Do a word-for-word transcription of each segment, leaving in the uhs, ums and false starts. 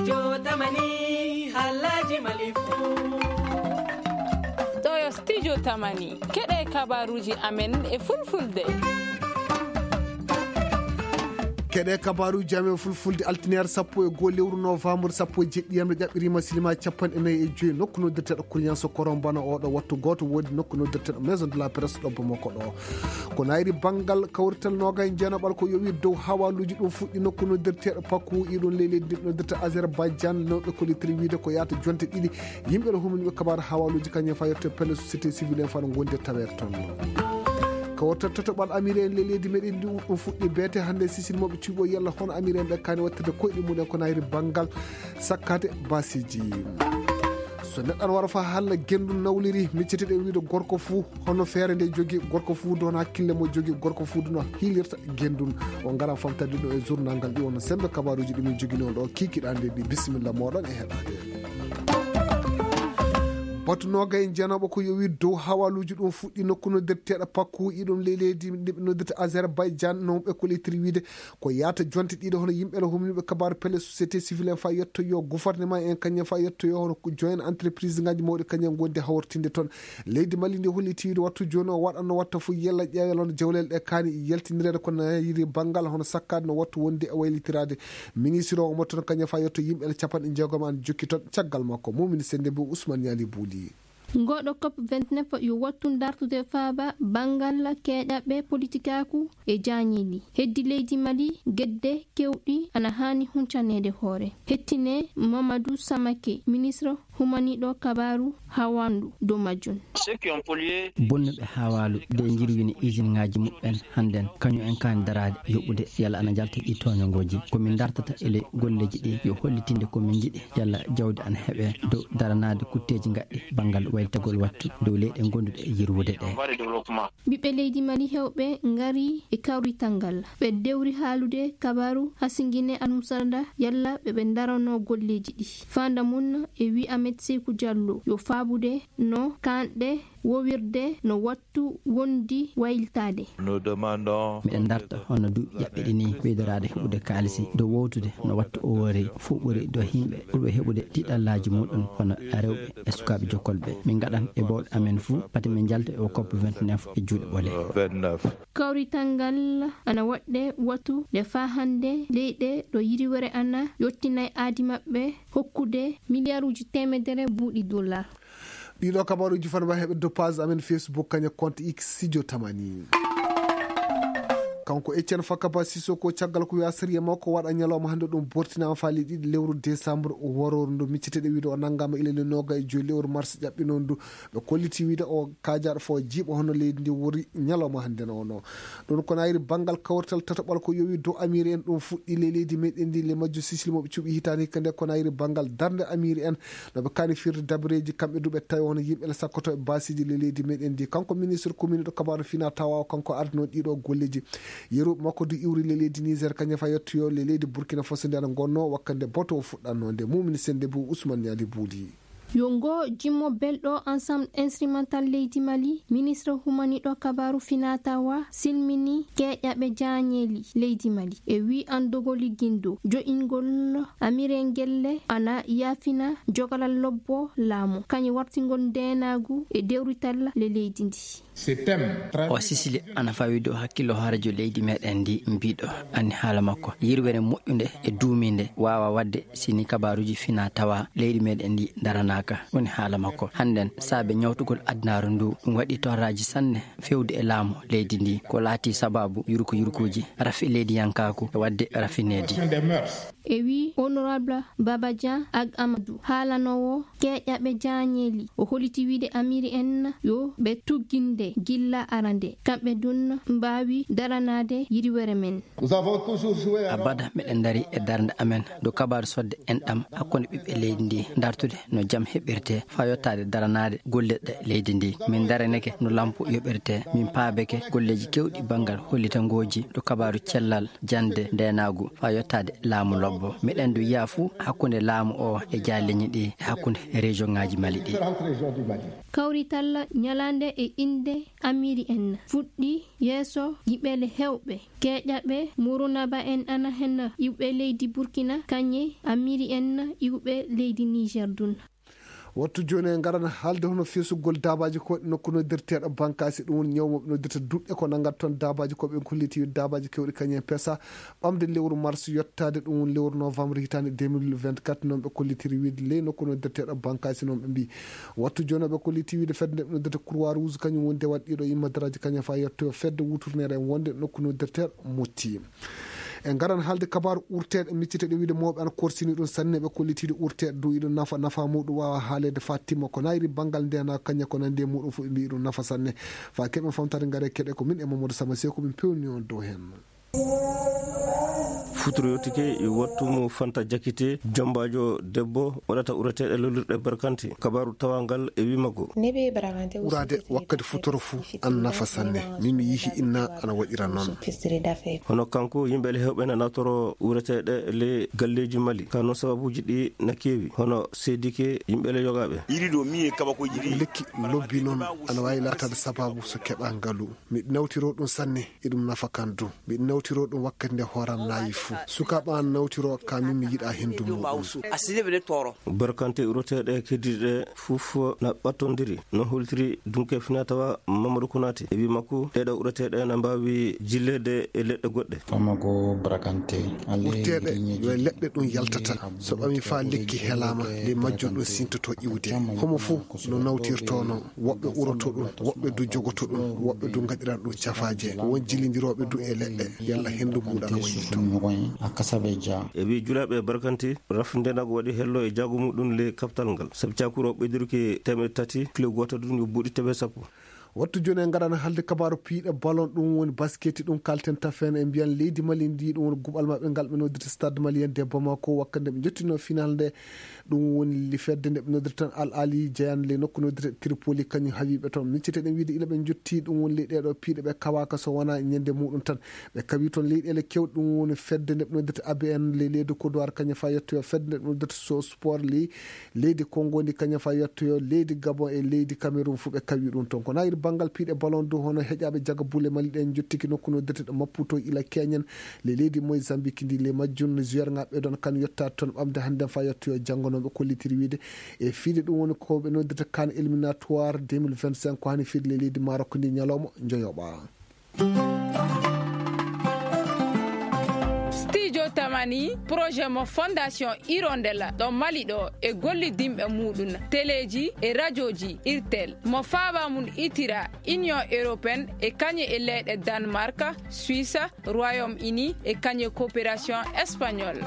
Yo tamani, halaji malifu. Ɗo yo studio tamani. Keɗe kabaruji amen e fulfulde. Keɗe kabaruji amen fulfulde, altiniere sappo e goo lewru novembre, sappo e jeɗɗi yamre ƴaɓɓirima silima capanɗe nayi e joyi, nokku noddirteɗo Kuriyanso Korombana oɗo wattu, goto wodi nokku noddirteɗo Maison de la Presse ɗo Bamako ɗo. Ko nayri banngal kawrital noga e jeenaɓal ko yowi dow hawaluji ɗum fuɗɗi nokku noddirteɗo Paku, iɗum ley leydi ndi noddirta Azerbaïdjan, no ɓe kollitiri wiide ko yahata jonte ɗiɗi. Yimɓe no humaniɓe kabaru hawaluji kañum fa yetto pelle société civile en fa no gondi e taweede toon. Kawrital tataɓal amiri en ley leydi meɗen ndi ɗum fuɗɗi beete hannde sisini moɓe cuuɓo yalla hono amiri en ɓe kani wattirde koyɗe mumen ko nayri banngal sakkade basiji. So neɗɗo ana wara fa halla gendu nawliri, miccete ɗe wiide gorko fuu hono feere nde jogi, gorko fuu don hakkille mo jogi, gorko fuu don hiilirta gendun. O ngara famtade ɗo e journal ngal ɗi wonno sembe kabaruji ɗi min jogino ɗo kikiɗande ɗi. Bisimilla moɗon e heɗade. Batu noga e jeenaɓo ko yowi dow hawaluji ɗum fuɗɗi nokku noddirteɗo Pakku, iɗum ley leydi ndi ɓe noddirta Azerbaïdjan, no ɓe kollitiri wiide ko yahata jonte ɗiɗi hono yimɓe no humniɓe kabaru pelle société civile en fa yettoyo gouvernement en kañum fa yettoyo hono ko joint entreprise ngaji mawɗi kañum gondi hawrtinde toon. Leydi Mali ndi holliti wiide wattu joni o waɗanno watta fof yella ƴeewel hono jawlel ɗe kaani yaltinireede ko nayiri banngal hono sakkade no wattu wonde e waylitirade. Ministre o omo toon kañum fa yetto yimɓe capanɗe jeegom an jokki toon caggal makko. Mumini Sende Mbow, Ousmane Ñaali Buuli. Ngoɗo cop vingt-neuf yo wattu dartude faaba banngal keeƴaɓe politikaaku e jaañeeli. Heddi leydi Mali, gedde kewɗi ana haani huncaneede hoore. Hettine Mamadou Samake, ministre humaniɗo kabaru hawandu dow majjum. Bonnuɓe hawalu de jirwini usine ngaji muɓɓen hannden, kañum en kaani daraade yoɓude yalla ana jalta ɗi toñogoji. Ko min dartata e ley golleji ɗi yo hollitinde ko min jiɗi yalla jawdi ana heɓe dow daranaade kutteji gaɗɗi banngal waytagol wattu dow leyɗe gonduɗe e yirwude ɗe. Ɓiɓɓe leydi Mali hewɓe ngari e kawrital ngal. Ɓe dewri haalude kabaru Hasingine Almusarda yalla ɓe ɓe darano golleji ɗi. Fanda mun e wi Ahmed Sekou Diallo yo faabude no kanɗe wowirde no wattu wondi waylitaade. Miɗen darta hono duuɓi ƴaɓɓiɗi ni ɓeydoraade heɓude kaalisi dow wowtude no wattu o wori fof ɓuri dow yimɓe ɓurɓe heɓude tiɗallaaji muɗum hono rewɓe e sukaaɓe jokkolɓe. Min ngaɗan e bawɗe amen fuu pati min njalta e o cop vingt-neuf e juuɗe ɓole. Kawrital ngal ana waɗde wattu nde faa hannde leyɗe ɗo yiriwere ana yottinay aadi maɓɓe hokkude miliyaruuji teemedere buuɗi dollar. Ɗiɗo kabaruuji fana mbawi heɓe doppage amen Facebook kaña compte X Sidio Tamani. Kanko Etienne Fakaba Sissoko caggal ko wiya sariya makko waɗa ñalawma hannde ɗum bortinama faali ɗiɗi lewru décembre waroru ndu micceteɗe wiide o nanngama ilani noga e joyi lewru mars ƴaɓɓinondu. Ɓe kolliti wiide o kajaɗo fo jiiɓa hono leydi ndi wori ñalawma hannde no ono. Ɗum ko nayri banngal kawrital tataɓal ko yowi dow amiri en ɗum fuɗɗi ley leydi meɗen ndi le majjo sisili moɓe cuɓi hitani hikka nde ko nayri banngal darnde amiri en. No ɓe kani firde dabareji kamɓe duɓe tawi hono yimɓe le sakkoto e basiji le leydi meɗen ndi kanko ministre commune ɗo kabaru fina tawa o kanko ardino ɗiɗo golleji. Yeru makko du iwri le leydi Niger kañum fa yettoyo le leydi Burkina Faso nde ana gonno wakkande boto o fuɗɗanno nde mumini sende bu Ousmane Niali Buuli. Yo ngo jimmo belɗo ensemble instrumental leydi Mali, ministre humaniɗo kabaru finatawa silmini keeƴaɓe jaañeeli leydi Mali e wi andogol liggindo jo'ingol amirengelle ana yaafina jogalal lobbo laamu kañum wartingol ndenagu e dewrital le leydi ndi. O sisili ana fawi dow hakkillo hoorejo leydi meɗen ndi mbiɗo anni haala makko yirwere moƴƴunde e duuminde wawa wadde sini kabaruji fina tawa leydi meɗen ndi daranaka woni haala makko hannden saabe ñawtugol addunaru ndu ɗum waɗi torraji sanne fewde e laamu leydi ndi ko laati sababu yurko yurkuji rafi leydi yankaku e wadde rafineedi. E wi honorable Baba Dia Ag Amadou haalanowo keeƴaɓe jaañeeli o holiti wiide amiri en yo ɓe tugginde gilla arande kamɓe dun mbaawi daranaade yiriwere men. Abada meɗen dari e darnde amen dow kabaru sodde en ɗam hakkunde ɓiɓɓe leydi ndi dartude no jam heɓirte faa yottaade daranaade gollirɗe leydi ndi. Min ndaranike no lampu yoɓirte. Min paabike golleeji keewɗi banngal hollitangooji ɗo kabaaru cellal, jannde, ndeenaagu faa yottaade laamu lobbo. Miɗen du yiya fuu hakkunde laamu o e jaaleñi ɗi e hakkunde rejoŋaaji Mali ɗi. Kawrital ñalaande e innde Amiri en fuɗɗi yeeso yiɓele heewɓe. Keeƴaɓe Murunaba en ana hen iwɓe leydi Burkina, kañe Amiri en iwɓe leydi Niger dun. Wattu jooni en ngaran haalde hono feesugol daabaaji ko waɗi nokku noddirteeɗo Bankaasi, ɗum woni ñaw mo ɓe noddirta duɗɗe ko nanngata toon daabaaji ko ɓe kolliti daabaaji kewɗi kañum en pesa ɓamde lewru mars yottaade ɗum woni lewru novembre hitaande deux mille vingt-quatre, noon ɓe kollitiri wiide ley nokku noddirteeɗo Bankaasi noon ɓe mbii. Wattu jooni ɓe kolliti wiide fedde nde ɓe noddirta Croix Rouge kañum woni nde waɗi ɗiɗo immadaraaji kañum faa yettoyo fedde wuturneere en wonde nokku noddirteeɗo Motti. En ngaran haalde kabaaru urteeɗe, micciteeɗe wiyde mawɓe ana korsini ɗum sanne, ɓe kollitiiɗo urteeɗe dow iɗum nafa, nafa muɗum waawa haaleede faa timma ko nayri banngal ndeenaagu kañum ko nanndi e muɗum fof ɓe mbii ɗum nafa sanne. Faa keɓen famtaade ngare keɗe ko min e Mamadou Sama Seeku min pewni on dow heen. Futuro yottike e wattu mo Fanta Jakite, jambaajo debbo waɗata ureteeɗe lolirɗe barkante. Kabaaru tawangal e wii makko. Uraade wakkati futuro fuu ana nafa sanne. Min mi yihi inna ana waɗira noon. Hono kanko, yimɓe le heewɓe na nawtoro ureteeɗe le galleeji Mali. Ka noon sababuuji ɗi na keewi. Hono seedike yimɓe le yogaaɓe. Lekki lobbi noon ana waawi laataade sababu so keɓa ngalu. Miɗo nawtiro ɗum sanne, eɗum nafa kan du. Miɗo nawtiro ɗum wakkati nde hooram naayi fuu. Sukaaɓe an nawtiro, ka min mi yiɗa hendu muɗum. Barkante uroteeɗe keddiiɗe fof na ɓattondiri. No holtiri dunke finatawa Mamadou Konaté. E wi makko, ɗeɗo uroteeɗe na mbaawi jilleede e leɗɗe goɗɗe. Urteeɗe yo e leɗɗe ɗum yaltata. So ɓami faa lekki helaama, le majjum ɗum sintoto iwde. Homo fuu no nawtirtono. Woɓɓe uroto ɗum, woɓɓe du jogoto ɗum, woɓɓe du ngaɗira ɗum cafaaje. Ko won jilindirooɓe du e leɗɗe, yalla henndu muuɗum ana wayli toon. E wi julaaɓe barkanti, raf ndenago waɗi hello e jaago muɗum le kapital ngal. Sabu cakuro ɓeydirki teemeɗe tati, kilo gooto ɗum yo buuɗi teemeɗe sappo. Wattu jooni en ngaɗana haalde kabaaru piiɗe ballon, ɗum woni basket, ɗum kalten tafen e mbiyan leydi Mali ndi, ɗum woni guɓal maɓɓe ngal ɓe noddirta Stade Malien de Bamako, wakkati nde ɓe njottino final nde. Ɗum woni li fedde nde ɓe noddirta tan Al Ahli Jayan le nokku noddirta Tripoli, kañum hawi ɓe toon. Micciteɗen wiide ila ɓe njotti ɗum woni ley ɗeɗo piiɗe ɓe kawaaka so wonaa ñande muɗum tan. Ɓe kawi toon leyɗeele kewɗe, ɗum woni fedde nde ɓe noddirta A B N le leydi Côte d'Ivoire, kañum faa yettoyo fedde nde ɓe noddirta So Sport le leydi Congo ndi, kañum faa yettoyo leydi Gabon e leydi Cameroun, fuu ɓe kawi ɗum toon. Ko nayri banngal piiɗe ballon du hono heƴaaɓe jaga bulle Mali ɗen njottiki nokku noddirta ɗo Maputo ila Keñen le leydi Mozambique ndi, le majjum joueur ŋa ɓe ɗon kan yottaade toon ɓamde hannden faa yettoyo janngo, no ɓe kollitiri wiide. E fiide ɗum woni ko ɓe noddirta kan éliminatoire deux mille vingt-cinq, ko hani fiide le leydi Maroc ndi ñalawma njoyoɓa. Studio Tamani, projet mo Fondation Hirondelle ɗo Mali ɗo e gollidinɓe muɗum, teleeji e rajooji Irtel, mo faaba mum itira Union Européenne e kañe e leyɗe Danemark, Suisse, Royaume-Uni e kañe coopération espagnole.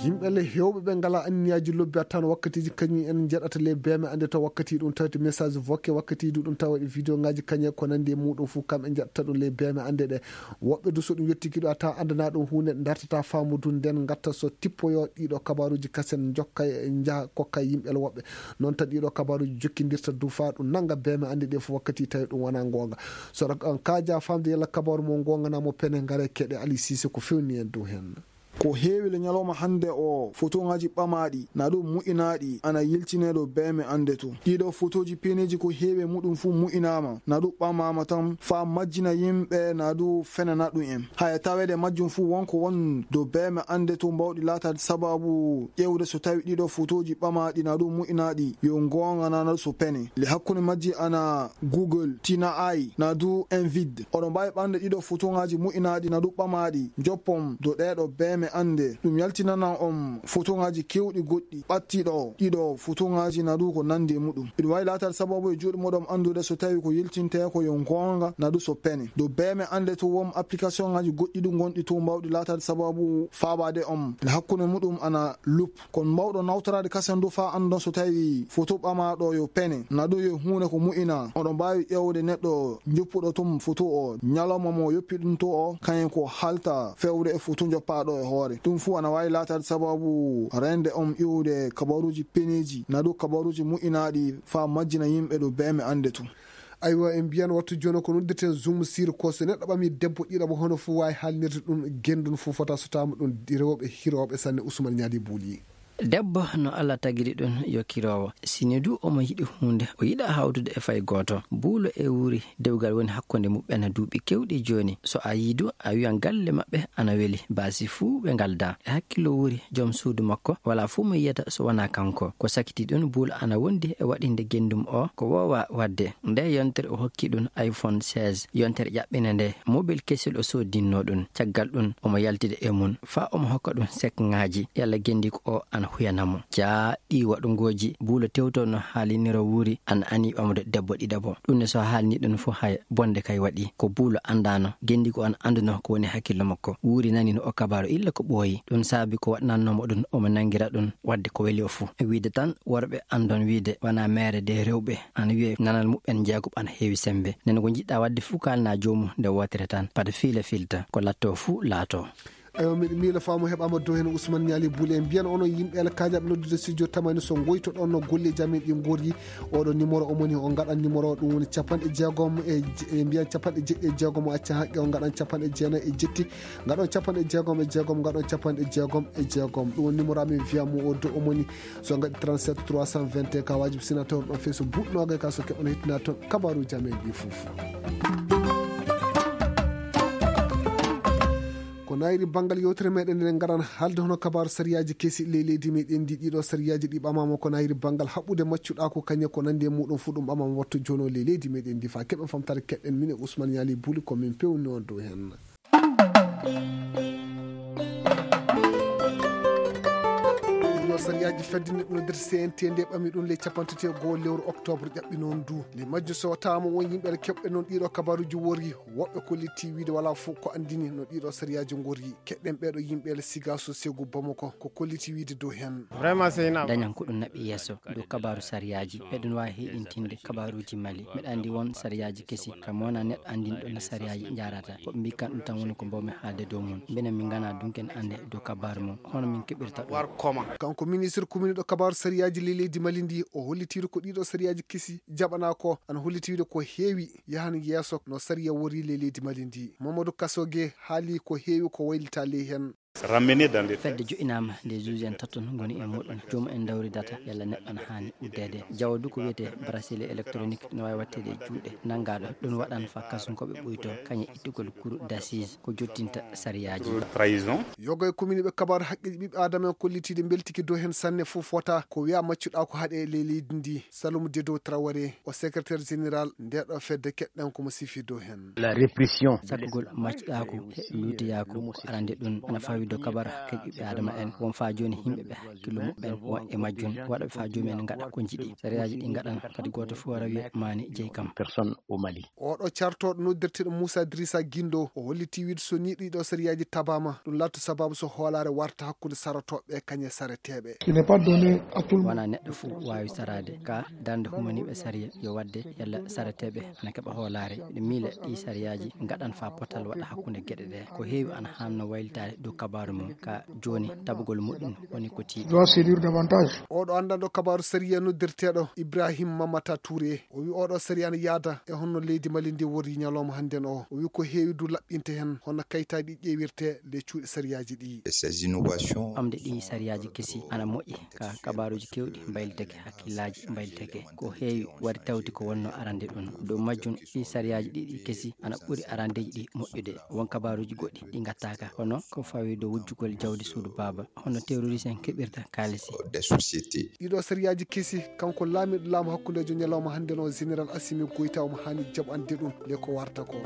Yimɓe le heewɓe ɓe ngalaa anniyaaji lobbi a tan wakkatiiji kañum en njaɗata le beeme annde to wakkati ɗum tawde message vocal, wakkati du ɗum tawa waɗi vidéo ŋaaji kañe ko nanndi e muɗum fof kam en njaɗata ɗum le beeme annde ɗe. Woɓɓe du so ɗum yettiki ɗo a tawa anndana ɗum huunde dartata faamu du nden ngatta so tippoyo ɗiɗo kabaaruuji kasen jokka e njaha kokka yimɓe le woɓɓe. Noon tan ɗiɗo kabaaruuji jokkindirta du faa ɗum nannga beeme annde ɗe fof wakkati tawi ɗum wonaa ngoonga. So on kaaja faamde yalla kabaaru mo ngoonga naa mo pene ngare keɗe Ali Cissé ko fewni en dow heen. Ko heewi le ñalawma hannde o, fotoŋaaji ɓamaaɗi, na ɗum mu'inaaɗi, ana yiltinee ɗo beeme annde to. Ɗiɗo fotooji peeneeji ko heewi e muɗum fuu mu'inaama, na ɗum ɓamaama tan faa majjina yimɓe, na ɗum fenana ɗum en. Haya taweede majjum fuu won ko won dow beeme annde to mbawɗi laataade sababu ƴeewde so tawi ɗiɗo fotooji ɓamaaɗi, na ɗum mu'inaaɗi, yo ngoonga na, na so pene. Le hakkunde majji ana Google, Tina Ai, na du Envid. Oɗon mbaawi ɓamde ɗiɗo fotoŋaaji mu'inaaɗi na du ɓamaaɗi, njoppon do ɗeeɗo beeme annde. Ɗum yaltinana on fotoŋaaji keewɗi goɗɗi, ɓattiɗo ɗiɗo fotoŋaaji na du ko nanndi e muɗum. Iɗum waawi laataade sababu e juuɗe moɗon anndude so tawi ko yiltintee ko yo ngoonga na du so pene. Do beeme annde to won application ŋaaji goɗɗi du ngonɗi to mbawɗi laataade sababu faabaade on. Le hakkunde muɗum ana Loop. Kono mbawɗo nawtoraade kasen du faa anndon so tawi foto ɓamaaɗo yo pene, na ɗum yo huunde ko mu'ina. Oɗon mbaawi ƴeewde neɗɗo njoppuɗo tun foto o, ñalawma mo yoppi ɗum to o, kañum ko haalta fewde e foto njoppaaɗo e hoore. Ɗum fuu ana waawi laataade sababu reende on iwde kabaruuji peneeji, naa du kabaruuji moƴƴinaaɗi faa majjina yimɓe ɗo beeme annde tun. Aywa, en mbiyan wattu jooni ko noddirten Zoom sir ko so neɗɗo ɓami debbo ɗiɗaɓo hono fuu waawi haalnirde ɗum genndun fuu fota so taama ɗum rewɓe hirooɓe sanne Usman Ñaali Buuli. Debbo no Allah tagiri ɗum yo kiroowo. Sini du omo yiɗi huunde, o yiɗa hawtude e fay gooto. Buulo e wuuri dewgal woni hakkunde muɓɓen duuɓi kewɗi jooni. So a yii du, a wiyan galle maɓɓe ana weli. Baasi fuu ɓe ngalda. E hakkillo wuuri, jom suudu makko, walaa fuu mo yiyata so wanaa kanko. Ko sakiti ɗum, Buulo ana wondi e waɗinde genndum o ko woowa waɗde. Nde yontere o hokki ɗum iPhone seize. Yontere ƴaɓɓinde nde, mobil kesel o soodinno ɗum. Caggal ɗum, omo yaltida e mum, faa omo hokka ɗum sekŋaaji. Yalla genndi ko o ana huyana mo. Jaa, ɗii waɗungooji, Buulo tewto no haaliniro wuuri, ana ani ɓamde debbo ɗiɗaɓo. Ɗum ne so haalni ɗum fof hay bonde kay waɗi. Ko Buulo anndaano, genndi ko ana annduno ko woni hakkillo makko. Wuuri nani no o kabaro illa ko ɓooyi. Ɗum saabi ko waɗnannoo mo ɗum, omo nangira ɗum waɗde ko weli o fuu. E wiide tan, worɓe anndon wiide, wanaa meere de rewɓe, ana wiye nanal muɓɓen jeegoɓ ana heewi sembe. Nden ko njiɗɗa waɗde fuu kaalna joomum nde wootere tan. Pad fiila filta, ko latto fuu laato. Ewa, miɗo miila faamu heɓaama dow heen Ousmane Ñaali Buule. En mbiyan onon yimɓe alkaajaɓe noddude studio tamani so ngoytoɗon no golleeji amen ɗi ngorri. Oɗo numéro o moni o ngaɗan numéro o, ɗum woni capanɗe jeegom e je-, en mbiyan capanɗe jeɗɗi e jeegom o acca haqqe o ngaɗan capanɗe jeenayi e jetti, ngaɗon capanɗe jeegom e jeegom, ngaɗon capanɗe jeegom e jeegom. Ɗum woni numéro amen wiya mo o dow o moni so ngaɗi trente-sept trois cent vingt et un ka waajibi sina tawruɗon feeso buuɗnooga ka so keɓon hettina toon kabaruuji amen ɗi fof. Ko nayri banngal yewtere meɗen, eɗen ngaran haalde hono kabaaru sariyaaji kesi ley leydi meɗen ndi. Ɗiɗo sariyaaji ɗi ɓamaama ko nayri banngal haɓɓude maccuɗaaku, kañe ko nanndi e muɗum fuu ɗum ɓamaama wattu jono ley leydi meɗen ndi. Faa keɓen famtaare keɗɗen min e Ousmane Ñaali Buuli ko min pewni on dow heen. Ɗiɗo sariyaaji fedde neɗɗo noddirta C N T nde ɓami ɗum ley capanɗe tati e go'o lewru octobre ƴaɓɓi noon du. Ley majjum so taama won yimɓe aɗa keɓɓe noon ɗiɗo kabaruuji worri. Woɓɓe kollitii wiide walaa fof ko anndini no ɗiɗo sariyaaji ngorri. Keɗɗen ɓeeɗo yimɓe le Sigaso Segu Bamako ko kollitii wiide dow heen. Vraiment, c'est une dañan ko ɗum naɓi yeeso dow kabaaru sariyaaji. Eɗen waawi heyɗintinde kabaaruuji Mali. Miɗa anndi won sariyaaji kesi, kam wona neɗɗo anndinɗo no sariyaaji njaarata. Ko ɓe mbii kan ɗum tan woni ko mbawmi haalde dow mum. Minen min nganaa dunken annde dow kabaaru mum. Hono min keɓirta ɗum? Kanko ministre kuminiiɗo kabaaru sariyaaji ley leydi Mali ndi, o hollitiiɗo ko ɗiɗo sariyaaji kesi jaɓanaa ko, ana hollitiiɗo ko heewi yahan yeeso no sariya wori ley leydi Mali ndi. Mamadou Kasoge haali ko heewi ko waylita ley heen. Ramené dans les fedde jo'inaama nde juge en taton ngoni e muɗum. Joomum en dawridata yalla neɗɗo ana haani uddeede. Jawo du ko wiyetee bracelet électronique no waawi waɗteede e juuɗe nanngaaɗo. Ɗum waɗan faa kasunkooɓe ɓuyto kañe ittugol cour d'assises ko jottinta sariyaaji. Trahison. Yoga e kuminiiɓe kabaaru haqqeeji ɓiɓɓe Aadama en kollitiiɗe mbeltiki dow heen sanne fof fota ko wiya maccuɗaa ko haɗe e ley leydi ndi. Saloum Dedo Traoré o secrétaire général ndeɗo fedde keɗɗen ko mo sifi dow heen. La répression. Sakkugol maccuɗaaku e luutiyaaku ko arande ɗum ana fawi dow kabaaru haqqeeji ɓiɓɓe Aadama en. Won faa jooni yimɓe ɓe hakkillo muɓɓen won e majjum waɗa ɓe faa joomum en ngaɗa ko njiɗi. Sariyaaji ɗi ngaɗan kadi gooto fof wara wiya maani jeyi kam. Personne au Mali. Oɗo cartooɗo noddirteeɗo Moussa Drissa Guindo o hollitii wiide so nii ɗiɗo sariyaaji tabaama ɗum laatto sababu so hoolaare warta hakkunde sarotooɓe kañe sareteeɓe. Il n'est pas donné à tout le monde. Wonaa neɗɗo fof waawi saraade ka darnde humaniiɓe sariya yo waɗde yalla sareteeɓe ana keɓa hoolaare. Miɗo miila ɗii sariyaaji ngaɗan faa potal waɗa hakkunde geɗe ɗe. Ko heewi ana haanno waylitaade dow kabaaru mum ka jooni tabugol muɗum woni ko tiiɗi. Doit séduire davantage. Oɗo anndanɗo kabaaru sariya noddirteeɗo Ibrahim Mamata Touré o wi oɗo sariya ana yaada e honno leydi Mali ndi worri ñalawma hannden o. O wi ko heewi du laɓɓinte heen hono kayitaaji ɗi ƴeewirte ley cuuɗi sariyaaji ɗi. Ces innovations. Ɓamde ɗii sariyaaji kesi ana moƴƴi ka kabaaruuji keewɗi mbaylitake hakkillaaji mbaylitake. Ko heewi wari tawti ko wonno arande ɗum. Dow majjum ɗii sariyaaji ɗiɗi kesi ana ɓuri arandeeji ɗi moƴƴude. Won kabaaruuji goɗɗi ɗi ngattaaka hono ko fawi dow wujjugol jawdi suudu baaba. Hono terroriste en keɓirta kaalisi. Des sociétés. Ɗiɗo sariyaaji kesi kanko laamiiɗo laamu hakkundeejo ñalawma hannden o général Assimi Goïta omo haani jaɓande ɗum le ko warta ko.